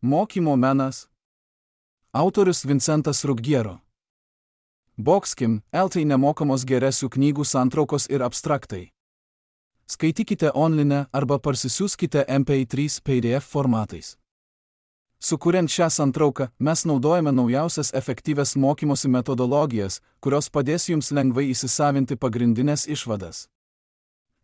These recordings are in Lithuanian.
Mokymo menas. Autorius Vincentas Ruggiero. Boxkim, LT nemokamos geresių knygų santraukos ir abstraktai. Skaitykite online arba parsisiųskite MP3 PDF formatais. Sukuriant šią santrauką, mes naudojame naujausias efektyvias mokymosi metodologijas, kurios padės jums lengvai įsisavinti pagrindinės išvadas.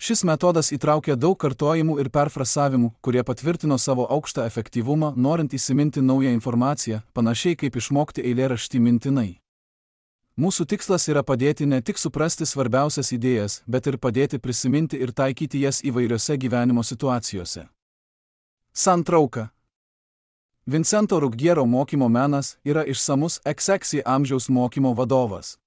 Šis metodas įtraukia daug kartojimų ir perfrasavimų, kurie patvirtino savo aukštą efektyvumą, norint įsiminti naują informaciją, panašiai kaip išmokti eilėraštį mintinai. Mūsų tikslas yra padėti ne tik suprasti svarbiausias idėjas, bet ir padėti prisiminti ir taikyti jas įvairiose gyvenimo situacijose. Santrauka. Vincento Ruggiero mokymo menas yra išsamus XX amžiaus mokymo vadovas.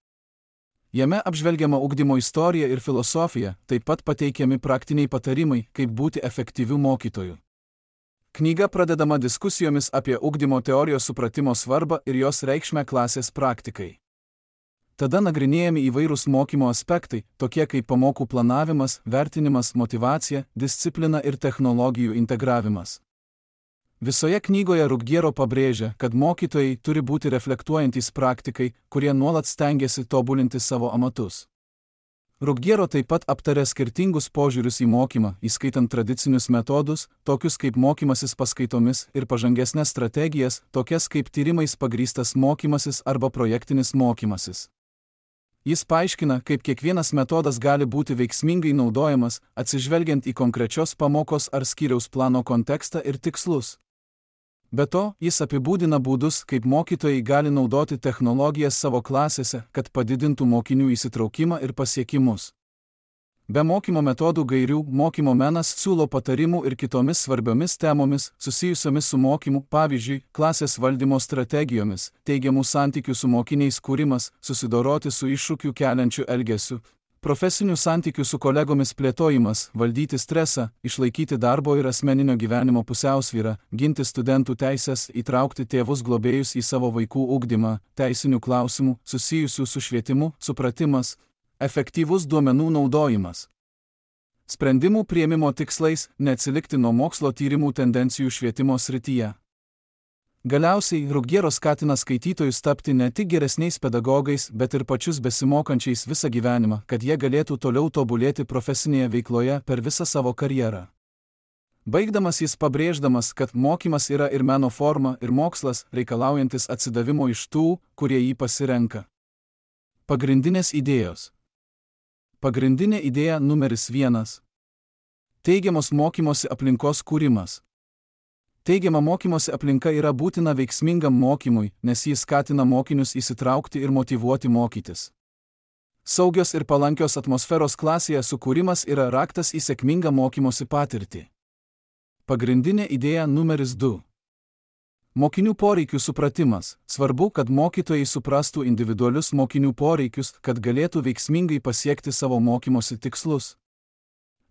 Jame apžvelgiama ugdymo istorija ir filosofija, taip pat pateikiami praktiniai patarimai, kaip būti efektyviu mokytoju. Knyga pradedama diskusijomis apie ugdymo teorijos supratimo svarbą ir jos reikšmę klasės praktikai. Tada nagrinėjami įvairūs mokymo aspektai, tokie kaip pamokų planavimas, vertinimas, motyvacija, disciplina ir technologijų integravimas. Visoje knygoje Ruggiero pabrėžia, kad mokytojai turi būti reflektuojantys praktikai, kurie nuolat stengiasi tobulinti savo amatus. Ruggiero taip pat aptarė skirtingus požiūrius į mokymą, įskaitant tradicinius metodus, tokius kaip mokymasis paskaitomis ir pažangesnes strategijas, tokias kaip tyrimais pagrįstas mokymasis arba projektinis mokymasis. Jis paaiškina, kaip kiekvienas metodas gali būti veiksmingai naudojamas, atsižvelgiant į konkrečios pamokos ar skyriaus plano kontekstą ir tikslus. Be to, jis apibūdina būdus, kaip mokytojai gali naudoti technologijas savo klasėse, kad padidintų mokinių įsitraukimą ir pasiekimus. Be mokymo metodų gairių, mokymo menas siūlo patarimų ir kitomis svarbiomis temomis, susijusiomis su mokymu, pavyzdžiui, klasės valdymo strategijomis, teigiamų santykių su mokiniais kūrimas, susidoroti su iššūkių keliančiu elgesiu, profesinių santykių su kolegomis plėtojimas, valdyti stresą, išlaikyti darbo ir asmeninio gyvenimo pusiausvyrą, ginti studentų teises, įtraukti tėvus globėjus į savo vaikų ugdymą, teisinių klausimų, susijusių su švietimu, supratimas, efektyvus duomenų naudojimas. Sprendimų priėmimo tikslais neatsilikti nuo mokslo tyrimų tendencijų švietimo srityje. Galiausiai, Ruggiero skatina skaitytojus tapti ne tik geresniais pedagogais, bet ir pačius besimokančiais visą gyvenimą, kad jie galėtų toliau tobulėti profesinėje veikloje per visą savo karjerą. Baigdamas jis pabrėždamas, kad mokymas yra ir meno forma, ir mokslas, reikalaujantis atsidavimo iš tų, kurie jį pasirenka. Pagrindinės idėjos. Pagrindinė idėja numeris 1. Teigiamos mokymosi aplinkos kūrimas. Teigiama mokymosi aplinka yra būtina veiksmingam mokymui, nes jis skatina mokinius įsitraukti ir motyvuoti mokytis. Saugios ir palankios atmosferos klasėje sukūrimas yra raktas į sėkmingą mokymosi patirtį. Pagrindinė idėja numeris 2. Mokinių poreikių supratimas. Svarbu, kad mokytojai suprastų individualius mokinių poreikius, kad galėtų veiksmingai pasiekti savo mokymosi tikslus.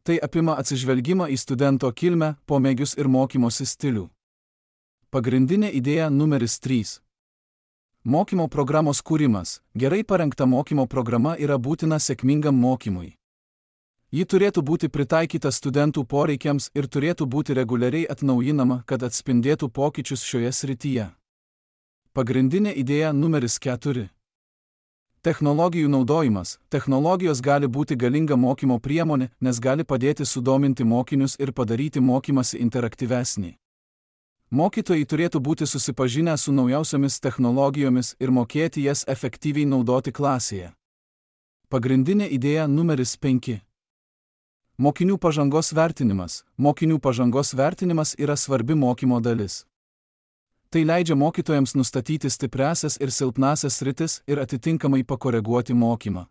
Tai apima atsižvelgimą į studento kilmę, pomėgius ir mokymosi stilių. Pagrindinė idėja numeris 3. Mokymo programos kūrimas. Gerai parengta mokymo programa yra būtina sėkmingam mokymui. Ji turėtų būti pritaikyta studentų poreikiams ir turėtų būti reguliariai atnaujinama, kad atspindėtų pokyčius šioje srityje. Pagrindinė idėja numeris 4. Technologijų naudojimas. Technologijos gali būti galinga mokymo priemonė, nes gali padėti sudominti mokinius ir padaryti mokymąsi interaktyvesnį. Mokytojai turėtų būti susipažinę su naujausiomis technologijomis ir mokėti jas efektyviai naudoti klasėje. Pagrindinė idėja numeris 5. Mokinių pažangos vertinimas. Mokinių pažangos vertinimas yra svarbi mokymo dalis. Tai leidžia mokytojams nustatyti stipriąsias ir silpnąsias sritis ir atitinkamai pakoreguoti mokymą.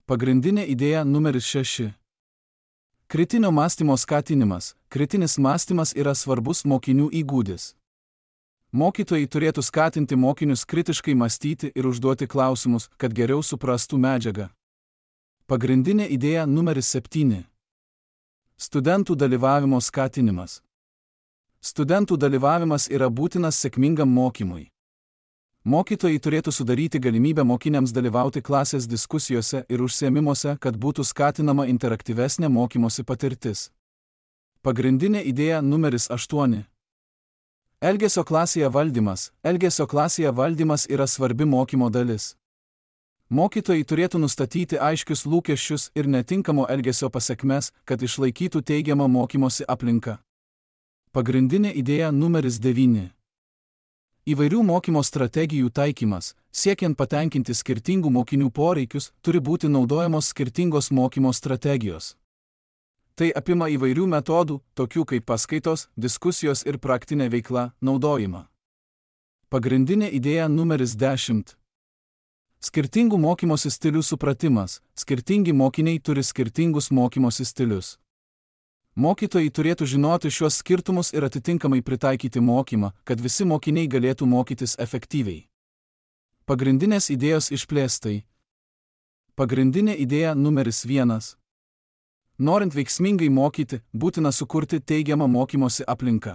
Pagrindinė idėja numeris 6. Kritinio mąstymo skatinimas. Kritinis mąstymas yra svarbus mokinių įgūdis. Mokytojai turėtų skatinti mokinius kritiškai mąstyti ir užduoti klausimus, kad geriau suprastų medžiagą. Pagrindinė idėja numeris 7. Studentų dalyvavimo skatinimas. Studentų dalyvavimas yra būtinas sėkmingam mokymui. Mokytojai turėtų sudaryti galimybę mokiniams dalyvauti klasės diskusijose ir užsiėmimuose, kad būtų skatinama interaktyvesnė mokymosi patirtis. Pagrindinė idėja numeris 8. Elgesio klasėje valdymas. Elgesio klasėje valdymas yra svarbi mokymo dalis. Mokytojai turėtų nustatyti aiškius lūkesčius ir netinkamo elgesio pasekmes, kad išlaikytų teigiamą mokymosi aplinką. Pagrindinė idėja numeris 9. Įvairių mokymo strategijų taikymas, siekiant patenkinti skirtingų mokinių poreikius, turi būti naudojamos skirtingos mokymo strategijos. Tai apima įvairių metodų, tokių kaip paskaitos, diskusijos ir praktinė veikla, naudojimą. Pagrindinė idėja numeris 10. Skirtingų mokymosi stilių supratimas. Skirtingi mokiniai turi skirtingus mokymosi stilius. Mokytojai turėtų žinoti šios skirtumus ir atitinkamai pritaikyti mokymą, kad visi mokiniai galėtų mokytis efektyviai. Pagrindinės idėjos išplėstai. Pagrindinė idėja numeris 1. Norint veiksmingai mokyti, būtina sukurti teigiamą mokymosi aplinką.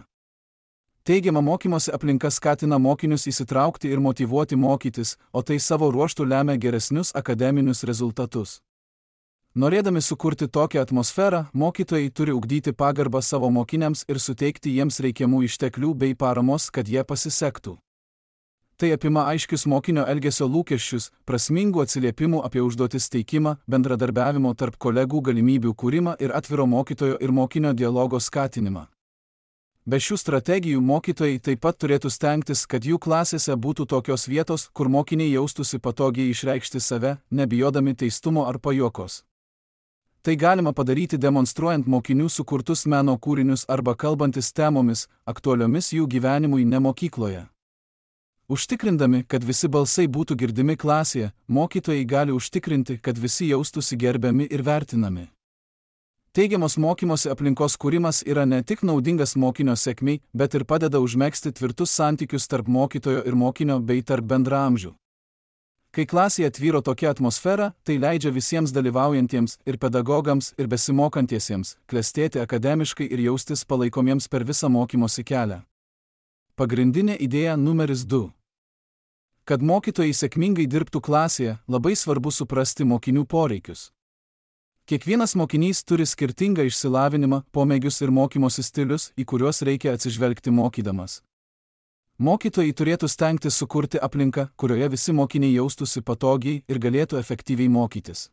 Teigiama mokymosi aplinka skatina mokinius įsitraukti ir motyvuoti mokytis, o tai savo ruožtu lemia geresnius akademinius rezultatus. Norėdami sukurti tokią atmosferą, mokytojai turi ugdyti pagarbą savo mokiniams ir suteikti jiems reikiamų išteklių bei paramos, kad jie pasisektų. Tai apima aiškius mokinio elgesio lūkesčius, prasmingų atsiliepimų apie užduotis teikimą, bendradarbiavimo tarp kolegų galimybių kūrimą ir atviro mokytojo ir mokinio dialogo skatinimą. Be šių strategijų mokytojai taip pat turėtų stengtis, kad jų klasėse būtų tokios vietos, kur mokiniai jaustųsi patogiai išreikšti save, nebijodami teistumo ar pajuokos. Tai galima padaryti demonstruojant mokinių sukurtus meno kūrinius arba kalbantis temomis, aktualiomis jų gyvenimui ne mokykloje. Užtikrindami, kad visi balsai būtų girdimi klasėje, mokytojai gali užtikrinti, kad visi jaustųsi gerbiami ir vertinami. Teigiamos mokymosi aplinkos kūrimas yra ne tik naudingas mokinio sėkmei, bet ir padeda užmegzti tvirtus santykius tarp mokytojo ir mokinio bei tarp bendraamžių. Kai klasėje tvyro tokia atmosfera, tai leidžia visiems dalyvaujantiems ir pedagogams ir besimokantiesiems klestėti akademiškai ir jaustis palaikomiems per visą mokymosi kelią. Pagrindinė idėja numeris 2. Kad mokytojai sėkmingai dirbtų klasėje, labai svarbu suprasti mokinių poreikius. Kiekvienas mokinys turi skirtingą išsilavinimą, pomėgius ir mokymosi stilius, į kuriuos reikia atsižvelgti mokydamas. Mokytojai turėtų stengtis sukurti aplinką, kurioje visi mokiniai jaustųsi patogiai ir galėtų efektyviai mokytis.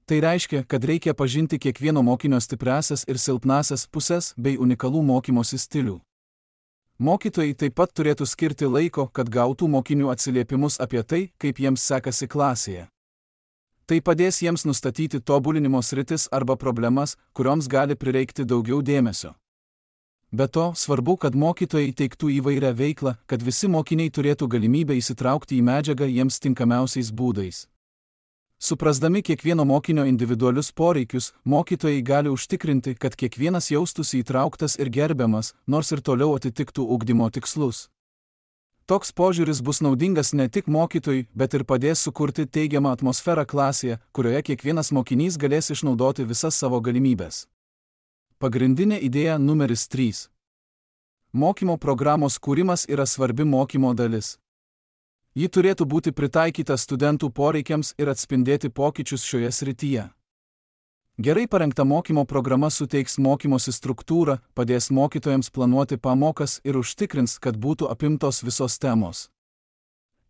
Tai reiškia, kad reikia pažinti kiekvieno mokinio stipriąsias ir silpnąsias puses bei unikalų mokymosi stilių. Mokytojai taip pat turėtų skirti laiko, kad gautų mokinių atsiliepimus apie tai, kaip jiems sekasi klasėje. Tai padės jiems nustatyti tobulinimo sritis arba problemas, kurioms gali prireikti daugiau dėmesio. Be to, svarbu, kad mokytojai teiktų įvairią veiklą, kad visi mokiniai turėtų galimybę įsitraukti į medžiagą jiems tinkamiausiais būdais. Suprasdami kiekvieno mokinio individualius poreikius, mokytojai gali užtikrinti, kad kiekvienas jaustųsi įtrauktas ir gerbiamas, nors ir toliau atitiktų ugdymo tikslus. Toks požiūris bus naudingas ne tik mokytojui, bet ir padės sukurti teigiamą atmosferą klasėje, kurioje kiekvienas mokinys galės išnaudoti visas savo galimybės. Pagrindinė idėja numeris 3. Mokymo programos kūrimas yra svarbi mokymo dalis. Ji turėtų būti pritaikyta studentų poreikiams ir atspindėti pokyčius šioje srityje. Gerai parengta mokymo programa suteiks mokymosi struktūrą, padės mokytojams planuoti pamokas ir užtikrins, kad būtų apimtos visos temos.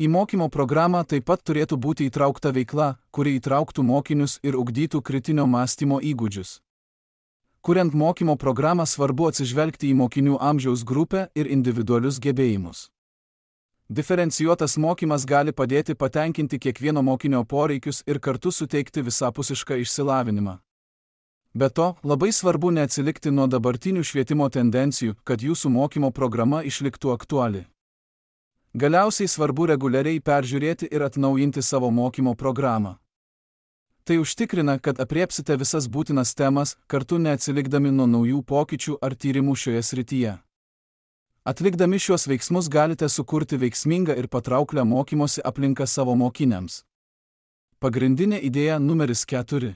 Į mokymo programą taip pat turėtų būti įtraukta veikla, kuri įtrauktų mokinius ir ugdytų kritinio mąstymo įgūdžius. Kuriant mokymo programą svarbu atsižvelgti į mokinių amžiaus grupę ir individualius gebėjimus. Diferencijuotas mokymas gali padėti patenkinti kiekvieno mokinio poreikius ir kartu suteikti visapusišką išsilavinimą. Be to, labai svarbu neatsilikti nuo dabartinių švietimo tendencijų, kad jūsų mokymo programa išliktų aktuali. Galiausiai svarbu reguliariai peržiūrėti ir atnaujinti savo mokymo programą. Tai užtikrina, kad apriepsite visas būtinas temas, kartu neatsilikdami nuo naujų pokyčių ar tyrimų šioje srityje. Atlikdami šiuos veiksmus galite sukurti veiksmingą ir patrauklią mokymosi aplinką savo mokiniams. Pagrindinė idėja numeris 4.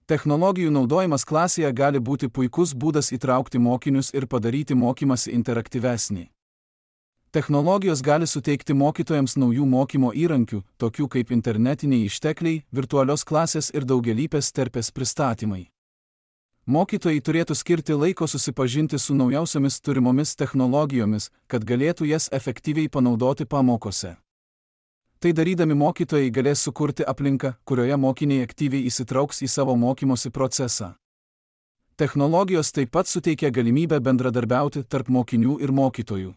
Technologijų naudojimas klasėje gali būti puikus būdas įtraukti mokinius ir padaryti mokymąsi interaktyvesnį. Technologijos gali suteikti mokytojams naujų mokymo įrankių, tokių kaip internetiniai ištekliai, virtualios klasės ir daugialypės terpės pristatymai. Mokytojai turėtų skirti laiko susipažinti su naujausiomis turimomis technologijomis, kad galėtų jas efektyviai panaudoti pamokose. Tai darydami mokytojai galės sukurti aplinką, kurioje mokiniai aktyviai įsitrauks į savo mokymosi procesą. Technologijos taip pat suteikia galimybę bendradarbiauti tarp mokinių ir mokytojų.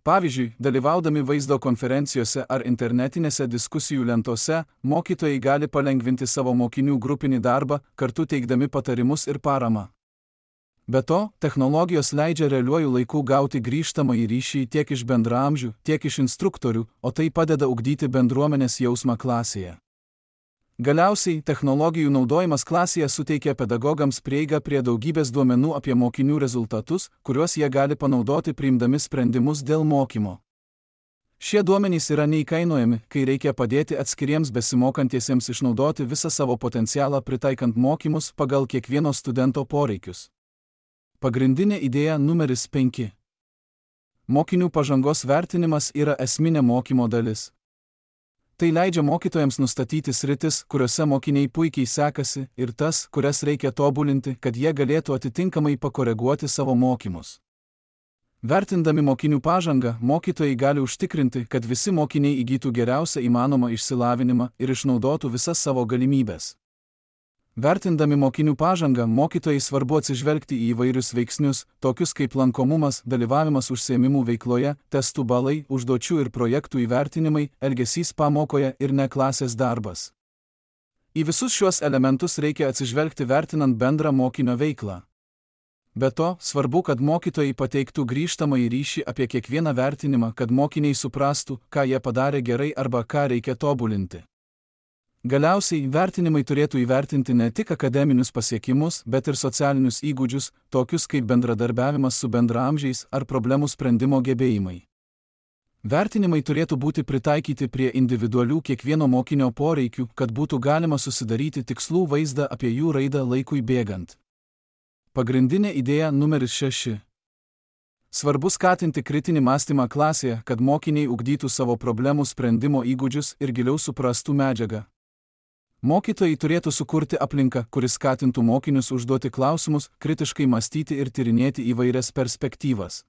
Pavyzdžiui, dalyvaudami vaizdo konferencijose ar internetinėse diskusijų lentose, mokytojai gali palengvinti savo mokinių grupinį darbą, kartu teikdami patarimus ir paramą. Be to, technologijos leidžia realiuoju laiku gauti grįžtamąjį ryšį tiek iš bendraamžių, tiek iš instruktorių, o tai padeda ugdyti bendruomenės jausmą klasėje. Galiausiai, technologijų naudojimas klasėje suteikia pedagogams prieigą prie daugybės duomenų apie mokinių rezultatus, kuriuos jie gali panaudoti priimdami sprendimus dėl mokymo. Šie duomenys yra neįkainojami, kai reikia padėti atskiriems besimokantiesiems išnaudoti visą savo potencialą pritaikant mokymus pagal kiekvieno studento poreikius. Pagrindinė idėja numeris 5. Mokinių pažangos vertinimas yra esminė mokymo dalis. Tai leidžia mokytojams nustatyti sritis, kuriuose mokiniai puikiai sekasi, ir tas, kurias reikia tobulinti, kad jie galėtų atitinkamai pakoreguoti savo mokymus. Vertindami mokinių pažangą, mokytojai gali užtikrinti, kad visi mokiniai įgytų geriausią įmanomą išsilavinimą ir išnaudotų visas savo galimybės. Vertindami mokinių pažangą, mokytojai svarbu atsižvelgti į įvairius veiksnius, tokius kaip lankomumas, dalyvavimas užsiėmimų veikloje, testų balai, užduočių ir projektų įvertinimai, elgesys pamokoje ir ne klasės darbas. Į visus šiuos elementus reikia atsižvelgti vertinant bendrą mokinio veiklą. Be to, svarbu, kad mokytojai pateiktų grįžtamąjį ryšį apie kiekvieną vertinimą, kad mokiniai suprastų, ką jie padarė gerai arba ką reikia tobulinti. Galiausiai, vertinimai turėtų įvertinti ne tik akademinius pasiekimus, bet ir socialinius įgūdžius, tokius kaip bendradarbiavimas su bendraamžiais ar problemų sprendimo gebėjimai. Vertinimai turėtų būti pritaikyti prie individualių kiekvieno mokinio poreikių, kad būtų galima susidaryti tikslų vaizdą apie jų raidą laikui bėgant. Pagrindinė idėja numeris 6. Svarbu skatinti kritinį mąstymą klasėje, kad mokiniai ugdytų savo problemų sprendimo įgūdžius ir giliau suprastų medžiagą. Mokytojai turėtų sukurti aplinką, kuris skatintų mokinius užduoti klausimus, kritiškai mąstyti ir tyrinėti įvairias perspektyvas.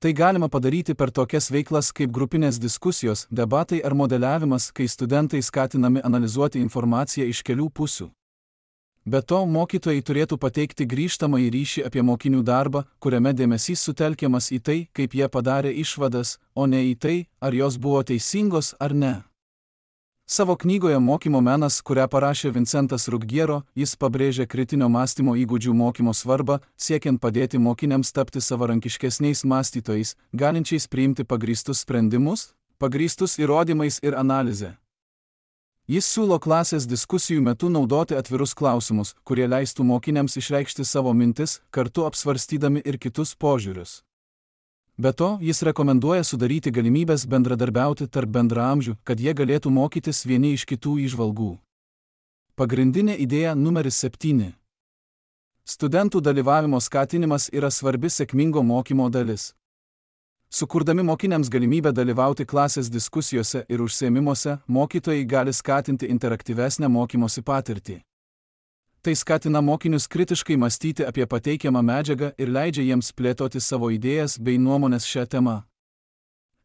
Tai galima padaryti per tokias veiklas kaip grupinės diskusijos, debatai ar modeliavimas, kai studentai skatinami analizuoti informaciją iš kelių pusių. Be to, mokytojai turėtų pateikti grįžtamąjį ryšį apie mokinių darbą, kuriame dėmesys sutelkiamas į tai, kaip jie padarė išvadas, o ne į tai, ar jos buvo teisingos ar ne. Savo knygoje Mokymo menas, kurią parašė Vincentas Ruggiero, jis pabrėžė kritinio mąstymo įgūdžių mokymo svarbą, siekiant padėti mokiniams tapti savarankiškesniais mąstytojais, galinčiais priimti pagrįstus sprendimus, pagrįstus įrodymais ir analize. Jis siūlo klasės diskusijų metu naudoti atvirus klausimus, kurie leistų mokiniams išreikšti savo mintis, kartu apsvarstydami ir kitus požiūrius. Be to, jis rekomenduoja sudaryti galimybės bendradarbiauti tarp bendraamžių, kad jie galėtų mokytis vieni iš kitų įžvalgų. Pagrindinė idėja numeris 7. Studentų dalyvavimo skatinimas yra svarbi sėkmingo mokymo dalis. Sukurdami mokiniams galimybę dalyvauti klasės diskusijose ir užsiėmimuose, mokytojai gali skatinti interaktyvesnę mokymosi patirtį. Tai skatina mokinius kritiškai mąstyti apie pateikiamą medžiagą ir leidžia jiems plėtoti savo idėjas bei nuomonės šią temą.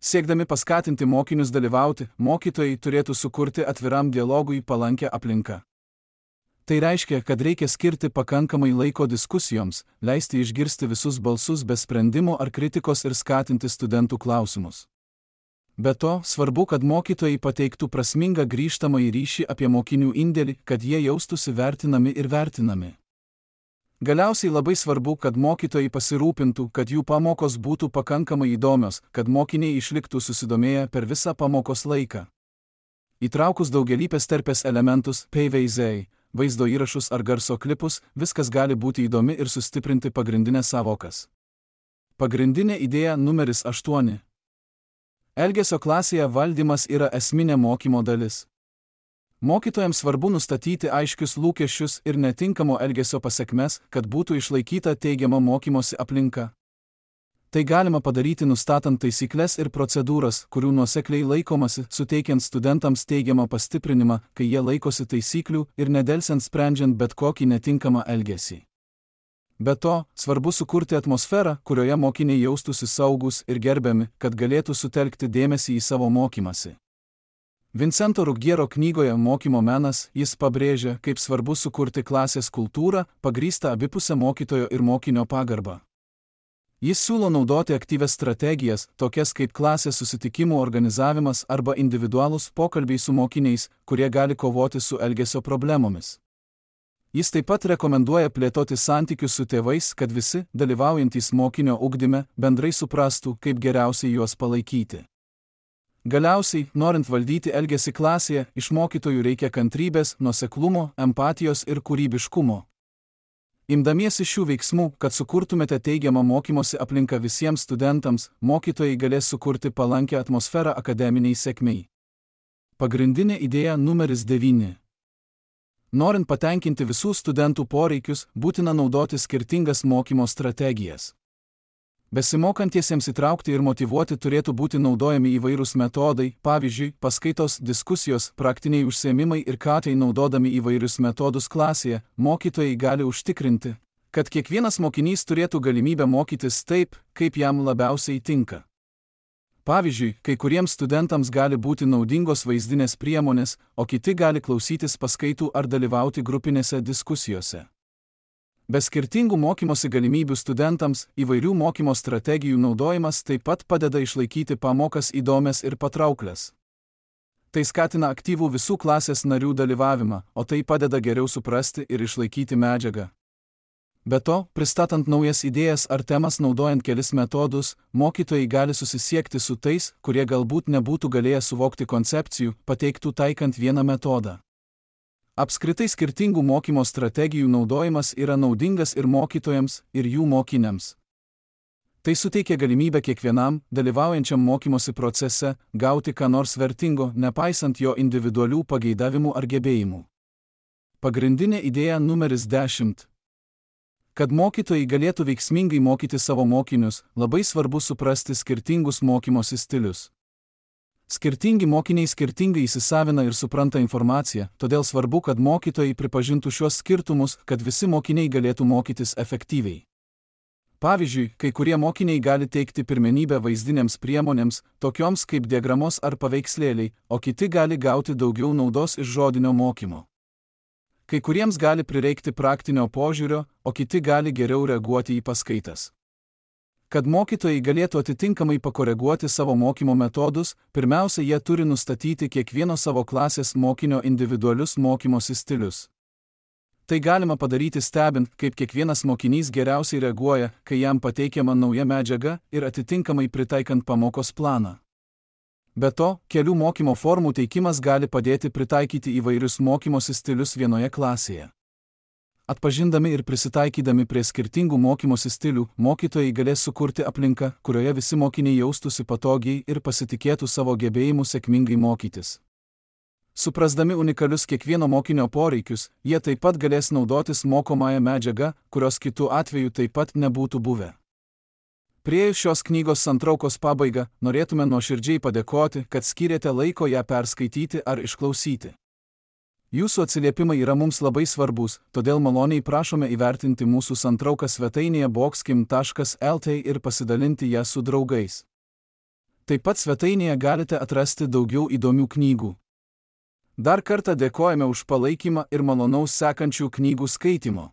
Siekdami paskatinti mokinius dalyvauti, mokytojai turėtų sukurti atviram dialogui palankę aplinką. Tai reiškia, kad reikia skirti pakankamai laiko diskusijoms, leisti išgirsti visus balsus be sprendimo ar kritikos ir skatinti studentų klausimus. Be to, svarbu, kad mokytojai pateiktų prasmingą grįžtamąjį ryšį apie mokinių indėlį, kad jie jaustųsi vertinami ir vertinami. Galiausiai labai svarbu, kad mokytojai pasirūpintų, kad jų pamokos būtų pakankamai įdomios, kad mokiniai išliktų susidomėję per visą pamokos laiką. Įtraukus daugelįpės terpės elementus, PVZ, vaizdo įrašus ar garso klipus, viskas gali būti įdomi ir sustiprinti pagrindinės savokas. Pagrindinė idėja numeris 8. Elgesio klasėje valdymas yra esminė mokymo dalis. Mokytojams svarbu nustatyti aiškius lūkesčius ir netinkamo elgesio pasekmes, kad būtų išlaikyta teigiama mokymosi aplinka. Tai galima padaryti nustatant taisyklės ir procedūras, kurių nuosekliai laikomasi, suteikiant studentams teigiamą pastiprinimą, kai jie laikosi taisyklių ir nedelsiant sprendžiant bet kokį netinkamą elgesį. Be to, svarbu sukurti atmosferą, kurioje mokiniai jaustųsi saugūs ir gerbiami, kad galėtų sutelkti dėmesį į savo mokymąsi. Vincento Ruggiero knygoje Mokymo menas jis pabrėžia, kaip svarbu sukurti klasės kultūrą, pagrįstą abipusę mokytojo ir mokinio pagarbą. Jis siūlo naudoti aktyvias strategijas, tokias kaip klasės susitikimų organizavimas arba individualūs pokalbiai su mokiniais, kurie gali kovoti su elgesio problemomis. Jis taip pat rekomenduoja plėtoti santykius su tėvais, kad visi, dalyvaujantys mokinio ugdyme, bendrai suprastų, kaip geriausiai juos palaikyti. Galiausiai, norint valdyti elgesį klasėje, iš mokytojų reikia kantrybės, nuoseklumo, empatijos ir kūrybiškumo. Imdamiesi šių veiksmų, kad sukurtumėte teigiamą mokymosi aplinką visiems studentams, mokytojai galės sukurti palankę atmosferą akademiniai sėkmei. Pagrindinė idėja numeris 9. Norint patenkinti visų studentų poreikius, būtina naudoti skirtingas mokymo strategijas. Besimokantiesiems įtraukti ir motyvuoti turėtų būti naudojami įvairūs metodai, pavyzdžiui, paskaitos, diskusijos, praktiniai užsiėmimai ir tai naudodami įvairius metodus klasėje, mokytojai gali užtikrinti, kad kiekvienas mokinys turėtų galimybę mokytis taip, kaip jam labiausiai tinka. Pavyzdžiui, kai kuriems studentams gali būti naudingos vaizdinės priemonės, o kiti gali klausytis paskaitų ar dalyvauti grupinėse diskusijose. Be skirtingų mokymosi galimybių studentams, įvairių mokymo strategijų naudojimas taip pat padeda išlaikyti pamokas įdomias ir patrauklias. Tai skatina aktyvų visų klasės narių dalyvavimą, o tai padeda geriau suprasti ir išlaikyti medžiagą. Be to, pristatant naujas idėjas ar temas naudojant kelis metodus, mokytojai gali susisiekti su tais, kurie galbūt nebūtų galėję suvokti koncepcijų, pateiktų taikant vieną metodą. Apskritai skirtingų mokymo strategijų naudojimas yra naudingas ir mokytojams, ir jų mokiniams. Tai suteikia galimybę kiekvienam, dalyvaujančiam mokymosi procese, gauti ką nors vertingo, nepaisant jo individualių pageidavimų ar gebėjimų. Pagrindinė idėja numeris 10. Kad mokytojai galėtų veiksmingai mokyti savo mokinius, labai svarbu suprasti skirtingus mokymosi stilius. Skirtingi mokiniai skirtingai įsisavina ir supranta informaciją, todėl svarbu, kad mokytojai pripažintų šiuos skirtumus, kad visi mokiniai galėtų mokytis efektyviai. Pavyzdžiui, kai kurie mokiniai gali teikti pirmenybę vaizdinėms priemonėms, tokioms kaip diagramos ar paveikslėliai, o kiti gali gauti daugiau naudos iš žodinio mokymo. Kai kuriems gali prireikti praktinio požiūrio, o kiti gali geriau reaguoti į paskaitas. Kad mokytojai galėtų atitinkamai pakoreguoti savo mokymo metodus, pirmiausia, jie turi nustatyti kiekvieno savo klasės mokinio individualius mokymosi stilius. Tai galima padaryti stebint, kaip kiekvienas mokinys geriausiai reaguoja, kai jam pateikiama nauja medžiaga ir atitinkamai pritaikant pamokos planą. Be to, kelių mokymo formų teikimas gali padėti pritaikyti įvairius mokymosi stilius vienoje klasėje. Atpažindami ir prisitaikydami prie skirtingų mokymosi stilių, mokytojai galės sukurti aplinką, kurioje visi mokiniai jaustųsi patogiai ir pasitikėtų savo gebėjimu sėkmingai mokytis. Suprasdami unikalius kiekvieno mokinio poreikius, jie taip pat galės naudotis mokomąją medžiagą, kurios kitų atveju taip pat nebūtų buvę. Priėjus šios knygos santraukos pabaigą, norėtume nuoširdžiai padėkoti, kad skyrėte laiko ją perskaityti ar išklausyti. Jūsų atsiliepimai yra mums labai svarbus, todėl maloniai prašome įvertinti mūsų santrauką svetainėje boxkim.lt ir pasidalinti ją su draugais. Taip pat svetainėje galite atrasti daugiau įdomių knygų. Dar kartą dėkojame už palaikymą ir malonaus sekančių knygų skaitimo.